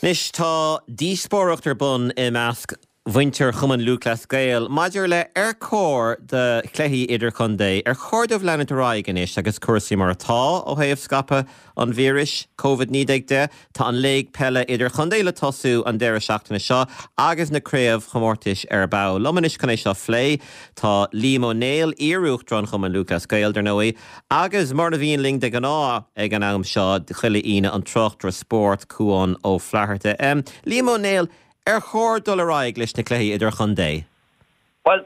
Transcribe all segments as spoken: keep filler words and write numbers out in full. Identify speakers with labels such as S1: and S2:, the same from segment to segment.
S1: Anois tá díospóireacht ar bun i measc mhuintir Chumann Lúthchleas Gael maidir le ar chóir do chluichí idirchontae ar chóir dóibh leanúint ar aghaidh anois agus cúrsaí mar atá ó thaobh scaipeadh an víris Covid naoi déag de. Tá an Léig Peile Idirchontae le tosú an deireadh seachtaine seo agus na craobhchomórtais ar ball. Liom anois chun é seo a phlé tá Liam Ó Néill, iar-uachtarán Chumann Lúthchleas Gael dar ndóigh, agus mar a bhíonn linn de ghnáth ag an am seo chuile Aoine an tráchtaire spóirt Cuán Ó Flatharta. Um, Liam Ó Néill, ar chóir dul ar aghaidh leis na cluichí idirchontae?
S2: Well,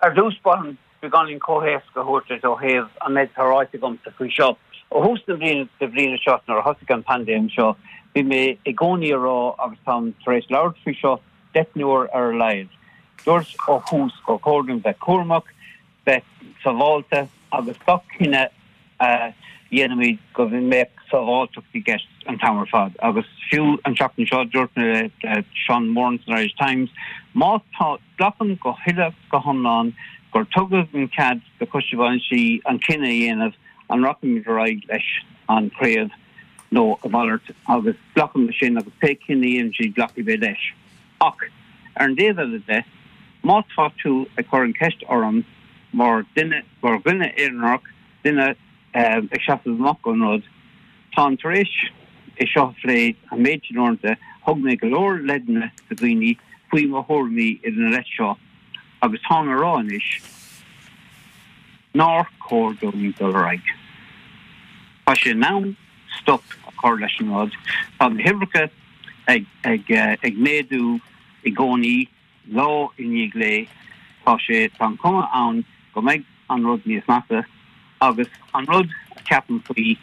S2: ar dtús b'fhéidir beagáinín comhthéacs a thabhairt ó thaobh an méid atá ráite agamsa faoi seo. Ó thús na bliana de bhliana seo nuair a thosaigh an paindéim seo, bhí mé i gcónaí ag rá agus táim tar éis labhairt faoi seo deich n-uair ar a laghad. Dúirt ó thús gur chóir dúinn bheith cúramach, bheith sábháilte agus gach cinneadh a dhéanaimid go mbeadh sábháilteacht i gceist an t-am ar fad. Agus fiú an seachtain seo dúirt mé le Sean Moran san Irish Times, má tá glacaim go huile go hiomlán gur tugadh an cead do choiste bainistí an cinneadh a dhéanamh an rachaimid ar aghaidh leis an chraobh nó a mhalairt agus glacaim leis sin agus pé cinneadh a dhéanann siad glacfaidh mé leis. Ach ar an dtaobh eile de, má tá tú ag cur an ceist orm mar duine mar dhuine aonarach duine ag seasamh amach an rud, Táim tar éis é seo a phlé an méid sin uaireanta, thug mé go leor leideanna do dhaoine faoi mo thuairimí ina leith seo agus táim ag rá anois nár chóir dúinn dul ar aghaidh. Tá sé in am stop a chur leis an rud. Tá na huimhreacha ag, ag, ag méadú i gcónaí lá i ndiaidh lae. Tá sé tá an cuma ann go mbeidh an rud níos measa agus an rud a ceapaim faoi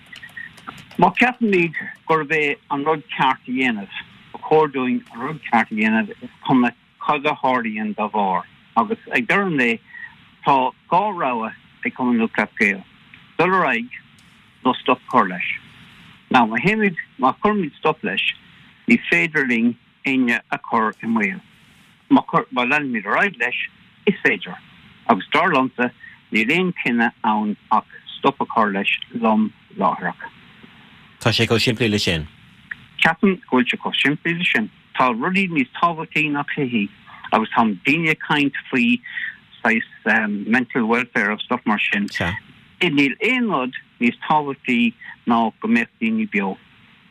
S2: Má ceapaimid gurb é an rud ceart a dhéanamh, ba chóir dúinn an rud ceart a dhéanamh is cuma cad a tharlaíonn dá bharr. Agus ag deireadh an lae tá dhá rogha ag Cumann Lúthchleas Gael, dul ar aghaidh nó stop a chur leis. Now má théimid má chuirimid stop leis, ní féidir linn éinne a chur i mbaol. Má má leanaimid ar aghaidh leis, is féidir. Agus dar liomsa níl aon chinneadh ann ach stop a chur leis lom láithreach.
S1: Tá sé chomh simplí le sin.
S2: Ceapaim go bhfuil sé chomh simplí le sin. Tá rudaí níos tábhachtaí ná cluichí agus tá daoine ag caint faoi saghas um, mental welfare agus stuff mar sin. Níl aon rud níos tábhachtaí ná go mbeadh daoine beo.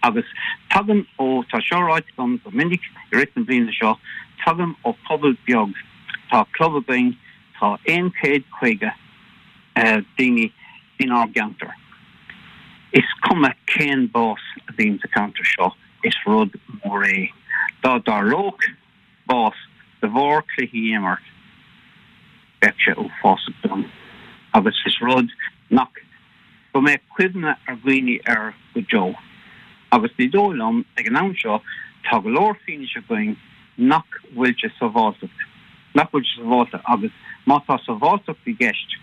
S2: Agus tagaim ó tá seo ráite agam go minic i rith na bliana seo, tagaim ó pobal beag. Tá club againn tá aon chéad caoga uh, daoine inár gceantar. Is cuma cén bás a bhíonn sa cheantar seo is rud mór é. Dá dtarlódh bás de bharr cluichí a imirt bheadh sé uafásach dom. Agus is rud nach go mbeadh cuimhne ar dhaoine air go deo. Agus ní dóigh liom ag an am seo tá go leor fianaise againn nach bhfuil sé sábháilteacht. Nach bhfuil sé sábháilte agus má tá sábháilteacht i gceist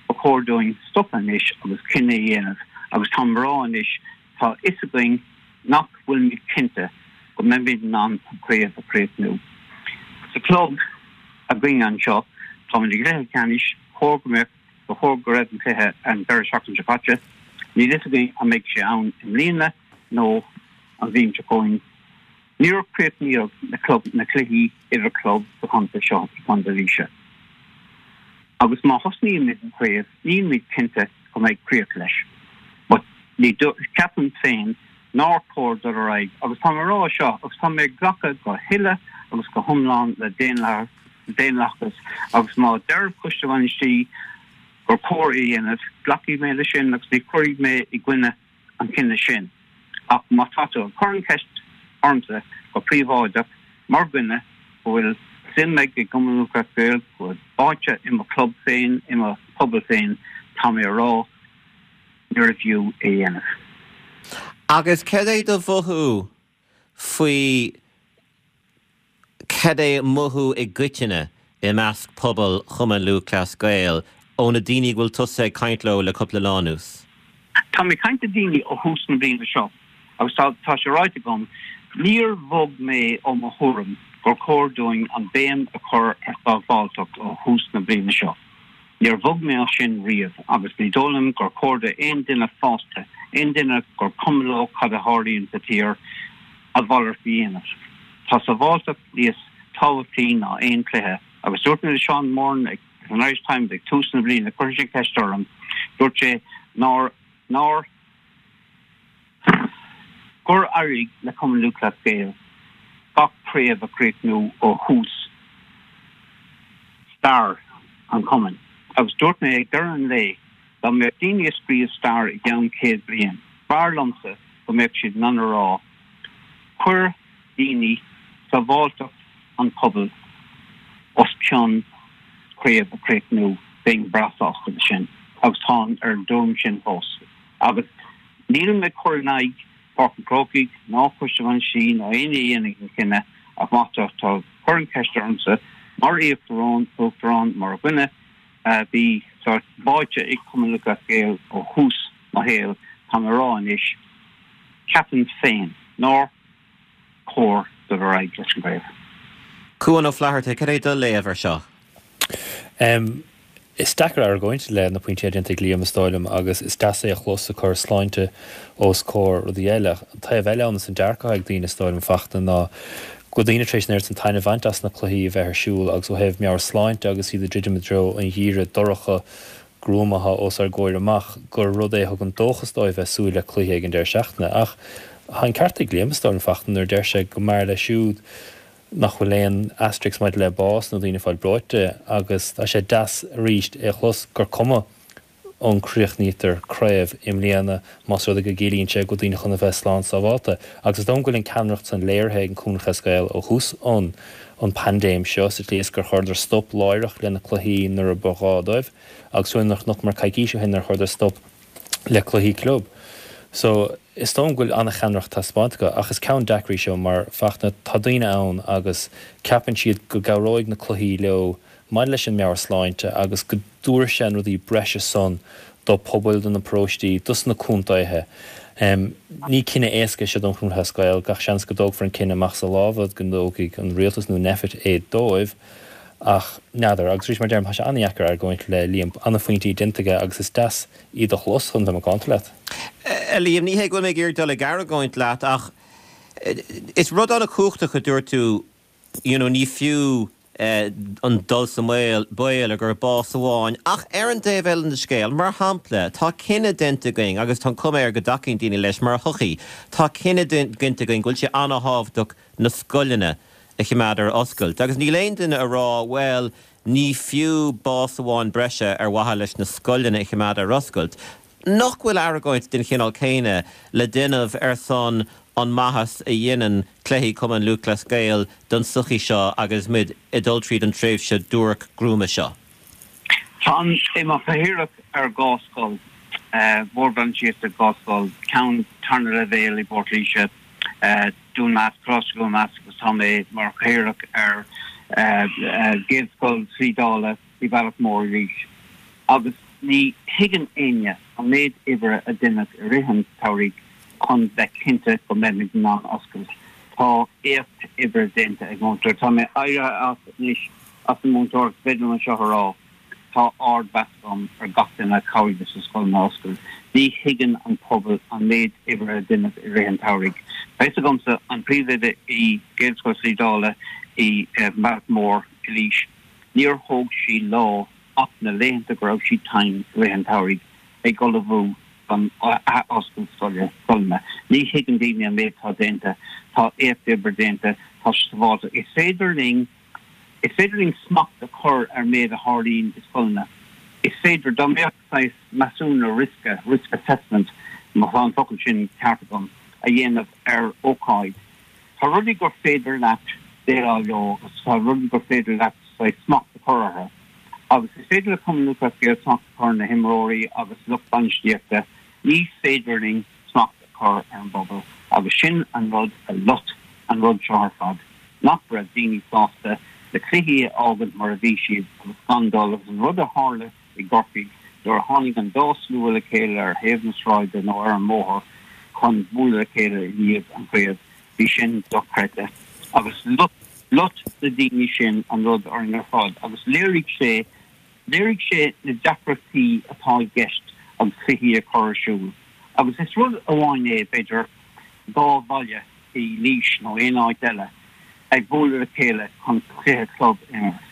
S2: ba chóir dúinn stop anois agus cinneadh a dhéanamh agus tá rá anois tá a fhios againn nach bhfuilimid cinnte go mbeimid in ann an chraobh a chríochnú. Sa club againn anseo tá i gcluiche ceannais chóir go mbeadh ba chóir go raibh an cluiche an deireadh seachtaine seo caite, Níl a fhios againn an mbeidh sé ann i mbliana nó an bhliain seo chugainn. Níor críochnaíodh na club na cluichí idir club sa chontae seo i gContae Laoise. Agus má thosnaímid an chraobh nílimid cinnte go mbeidh críoch leis. But ní ceapaim féin nár chóir dul ar aghaidh agus tá rá seo agus tá mé glacadh go huile agus go hiomlán le daonlathas agus má deir coiste bainistí gur cóir é a dhéanamh glacfaidh mé leis sin agus ní chuirfidh mé i gcoinne an chinneadh sin. Ach má tá tú ag cur an cheist ormsa go príobháideach mar dhuine go bhfuil suim ag i gCumann Lúthchleas Gael go báite i mo club féin i mo phobal féin tá mé rá níorbh fhiú é a dhéanamh.
S1: Agus cad é do mhothú faoi cad é mothú i gcoitinne i measc pobal Chumann Lúthchleas Gael ó na daoine bhfuil tusa ag caint leo le cúpla lá anuas.
S2: Tá mé ag caint le daoine ó thús na bliana seo agus tá tá sé ráite agam níor bhog mé ó mo thuairim gur chóir dúinn an béim a chur ar sábháilteacht ó thús na bliana seo. Níor bhog mé sin riamh agus ní dóigh liom gur chóir d'aon duine fásta, aon duine gur cuma leo cad a tharlaíonn sa tír, a mhalairt a dhéanamh. Tá sábháilteacht níos tábhachtaí ná aon chluiche agus dúirt mé le Seán Moran ag an Irish Times ag tús na bliana, chuir sé ceist orm, dúirt sé nár nár gur éirigh le Cumann Lúthchleas Gael gach craobh a chríochnú ó thús stair an chumainn. Agus dúirt mé ag deireadh an lae dá mbeadh daoine ag scríobh stair i gceann céad bliain. B'fhearr liomsa go mbeadh siad in ann a rá, chuir daoine sábháilteacht an phobail os cionn craobh a chríochnú bheinn breá sásta leis sin agus táim ar an dtuairim sin fós. Agus nílim ag cur in aghaidh Páirc an Chrócaigh ná Coiste Bhainistí ná éinne a dhéanfaidh an cinneadh ach má tá tú ag cur an cheist ormsa mar íochtarán uachtarán mar dhuine a bhí sórt báite ag Cumann Lúthchleas Gael ó thús mo shaoil tá mé ag rá anois ceapaim féin nár chóir dul ar aghaidh leis an gcraobh.
S1: Cuan Ó Flatharta, cad é do léamh air seo?
S3: Um, Is deacair argóint le na pointí déanta ag Liam is dóigh liom agus is deas é a chlos ag cur sláinte os comhair rudaí eile. An taobh eile ann is an dearcadh ag daoine is dóigh liom Fachtna ná go bhfuil daoine tar éis an oiread san taitneamh a bhaint as na cluichí a bheith ar siúl agus ó thaobh meabhairshláinte agus iad ag druidim i dtreo an gheimhridh dorcha gruama os ár gcomhair amach gur rud é a thugann dóchas dóibh bheith súil le cluiche ag an deireadh seachtaine. Ach tá an ceart ag Liam is dóigh liom Fachtna nuair a deir sé go mb'fhearr leis siúd nach bhfuil aon asterisc maidir le bás nó daoine ag fáil breoite agus tá sé deas arís é a chlos gur cuma an gcríochnaítear craobh i mbliana más rud é go gciallaíonn sé go bhfuil daoine chun a bheith slán sábháilte. Agus is dóigh go bhfuil an ceannaireacht san léirithe ag an Cumann Lúthchleas Gael ó thús an an paindéim seo sa tslí is gur chuireadar stop láithreach le na cluichí nuair a ba ghá dóibh agus nuair nach mar coicís ó shin nuair a chuireadar stop le cluichí club. So is dóigh go bhfuil an-cheannaireacht taispeánta acu ach is ceann deacair í seo mar Fachtna tá daoine ann agus ceapann siad go gcabhróidh na cluichí leo maidir leis an meabhairshláinte agus go dtabharfaidh sé an rudaí breise san do pobail, do na paróistí, dos na contaetha. Ní cinneadh éasca é seo don Chumann Lúthchleas Gael, gach seans go dtógfar an cinneadh amach as a lámha, go dtógfaidh an rialtas nó Nphet é dóibh ach n'fheadar. Agus arís mar a deirim, tá sé an-dheacair argóint le Liam, an-phointí déanta aige agus is deas iad a chlos chun bheith macánta leat.
S1: A Liam, ní hé go bhfuil mé ag iarraidh dul ag argóint leat ach is rud an-chumhachtach a dúirt tú, you know, ní fiú an dul sa mbaol, baol ar gur bás amháin. Ach ar an dtaobh eile den scéal, mar shampla, tá cinneadh déanta againn, agus tá an chuma air go dtacaíonn daoine leis mar shochaí, tá cinneadh déanta againn go bhfuil sé an-thábhachtach na scoileanna a choimeád ar oscailt. Agus níl aon duine ag rá, bhuel, ní fiú bás amháin breise ar mhaithe leis na scoileanna a choimeád ar oscailt. Nach bhfuil argóint den chineál céanna le déanamh ar son an maitheas a dhéanann cluichí Chumann Lúthchleas Gael don tsochaí seo agus muid ag dul tríd an tréimhse duairc gruama seo?
S2: Táim i mo chathaoirleach ar dhá scoil, bord bainistíochta dhá scoil, ceann tarna leibhéal i bPort Laoise, Dún Measc, Coláiste Dhún Measc agus tá mé mar chathaoirleach ar Ghaelscoil Shlí Dála i Bealach Mór i Laois. Agus ní thuigeann éinne an méid oibre a deineadh i rith an tsamhraidh chun bheith cinnte go mbeimid in ann oscailt. Tá éacht oibre déanta ag múinteoirí. Tá mé éirithe as anois as an múinteoireacht, is féidir liom seo a rá. Tá ardmheas agam ar gach duine a chabhraigh leis na scoileanna a oscailt. Ní thuigeann an pobal an méid oibre a deineadh i rith an tsamhraidh. Tá fhios agamsa an príomhoide i Gaelscoil Shlí Dála i mBealach Mór i Laois, níor thóg sí lá ach na laethanta go raibh sí tinn i rith an tsamhraidh ag ullmhú don athoscailt scoile, scoileanna. Ní thuigeann daoine an méid atá déanta. Tá éacht oibre déanta. Tá sé sábháilte. Is féidir linn. Is féidir linn smacht a chur ar an méid a tharlaíonn i scoileanna. Is féidir, dá mbeadh saghas measúnú riosca, risk assessment, má tá an focal sin ceart agam, a dhéanamh ar ócáid, tá rudaí gur féidir leat déileáil leo agus tá rudaí gur féidir leat saghas smacht a chur orthu. Agus is féidir le Cumann Lúthchleas Gael smacht a chur ar na himreoirí agus lucht bainistíochta, ní féidir linn smacht a chur ar an bpobal agus sin an rud a loit an rud seo ar fad. nach raibh daoine sásta na cluichí a fhágaint mar a bhí siad agus gan dul agus an rud a tharla i gCorcaigh nuair a tháinig an dá slua le chéile ar thaobh na sráide nó ar an mbóthar chun bualadh le chéile i ndiaidh an chraobh, bhí sin dochreidte agus loit na daoine sin an rud orainn ar fad agus léirigh sé léirigh sé na deacrachtaí atá i gceist agus cluichí a chur ar siúl agus is rud amháin é b'fhéidir dhá bhaile i Laois nó aon áit eile ag bualadh le chéile chun cluiche club a imirt.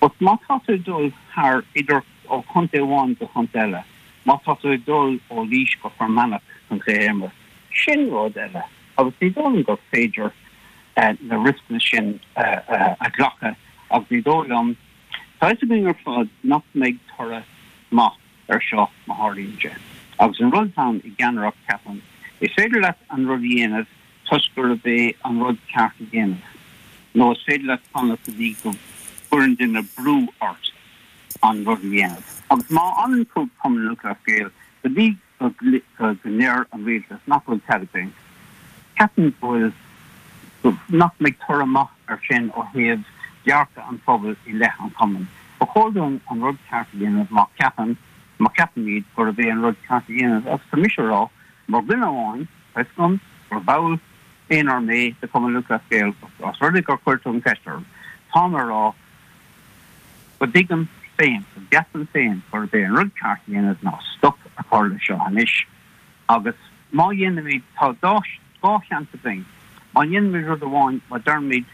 S2: But má tá tú ag dul thar idir ó chontae amháin go contae eile, má tá tú ag dul ó Laois go Fear Manach chun cluiche a imirt, sin rud eile agus ní dóigh liom gur féidir na rioscanna sin a ghlacadh agus ní dóigh liom, tá fhios againn ar fad nach mbeidh toradh maith air seo má tharlaíonn sé. Agus an rud atá ann i gceannaireacht, ceapaim, is féidir leat an rud a dhéanamh toisc gurb é an rud ceart a dhéanamh, nó is féidir leat fanacht go dtí go gcuireann duine brú ort an rud a dhéanamh. Agus má fhanann Cumann Lúthchleas Gael go dtí go ndeir an rialtas nach bhfuil cead againn, ceapaim go bhfuil, nach mbeidh toradh maith air sin ó thaobh dearcadh an phobail i leith an chumainn. Ba chóir dúinn an rud ceart a dhéanamh má cheapann, má cheapaimid gurb é an rud ceart a dhéanamh agus tá mise a rá, mar dhuine amháin, tá fhios agam gur ball aonair mé de Chumann Lúthchleas Gael, os rud é gur chuir tú an cheist orm, táim a rá go dtuigim féin, go gceapaim féin gurb é an rud ceart a dhéanamh ná stop a chur leis seo anois agus má dhéanaimid, tá dhá sheans againn, má dhéanaimid rud amháin, má deirimid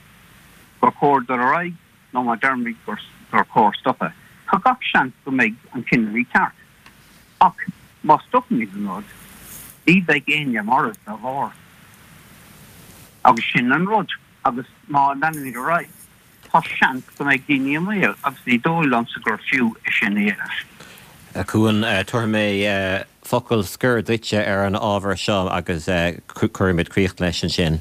S2: gur chóir dul ar aghaidh nó má deirimid gur chóir stopadh, tá gach seans go mbeidh an cinneadh ceart. Ach má stopaimid an rud, ní bheidh éinne marbh dá bharr. Agus sin an rud. Agus má leanaimid ar aghaidh, tá seans go mbeidh daoine i mbaol agus ní dóigh liomsa gur fiú é sin a dhéanamh.
S1: A Chuain, tabharfaidh mé focal scoir duitse ar an ábhar seo agus cuirfimid críoch leis ansin.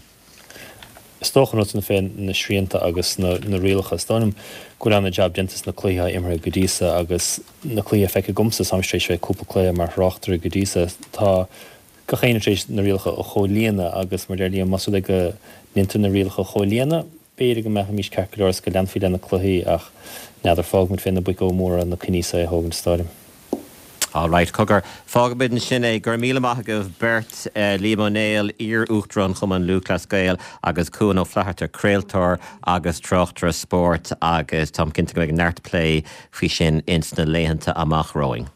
S3: Is dócha an rud san fé na srianta agus na rialacha, is dóigh liom go bhfuil ana-jab déanta sna cluichí atá imeartha go dtí so agus na cluichí a feicthe agamsa, táim tar éis bheith ag cúpla cluiche mar thráchtaire go dtí so, tá gach éinne tar éis na rialacha a chomhlíonadh agus mar deir Liam, más rud é go ndéantar na rialacha a chomhlíonadh, b'fhéidir go mbeimís ceart go leor is go leanfaí le na cluichí ach n'fheadar, fágfaimid fé na boic óga móra na cinní so a thógaint is dóigh liom.
S1: All right, cogar, fágfaimid ansin é. Go raibh míle maith agaibh beirt, Liam Ó Néill, iar-Uachtarán Chumann Lúthchleas Gael agus Cuan Ó Flatharta, craoltóir agus tráchtaire spóirt agus táim cinnte go mbeidh neart plé faoi sin ins na laethanta amach romhainn.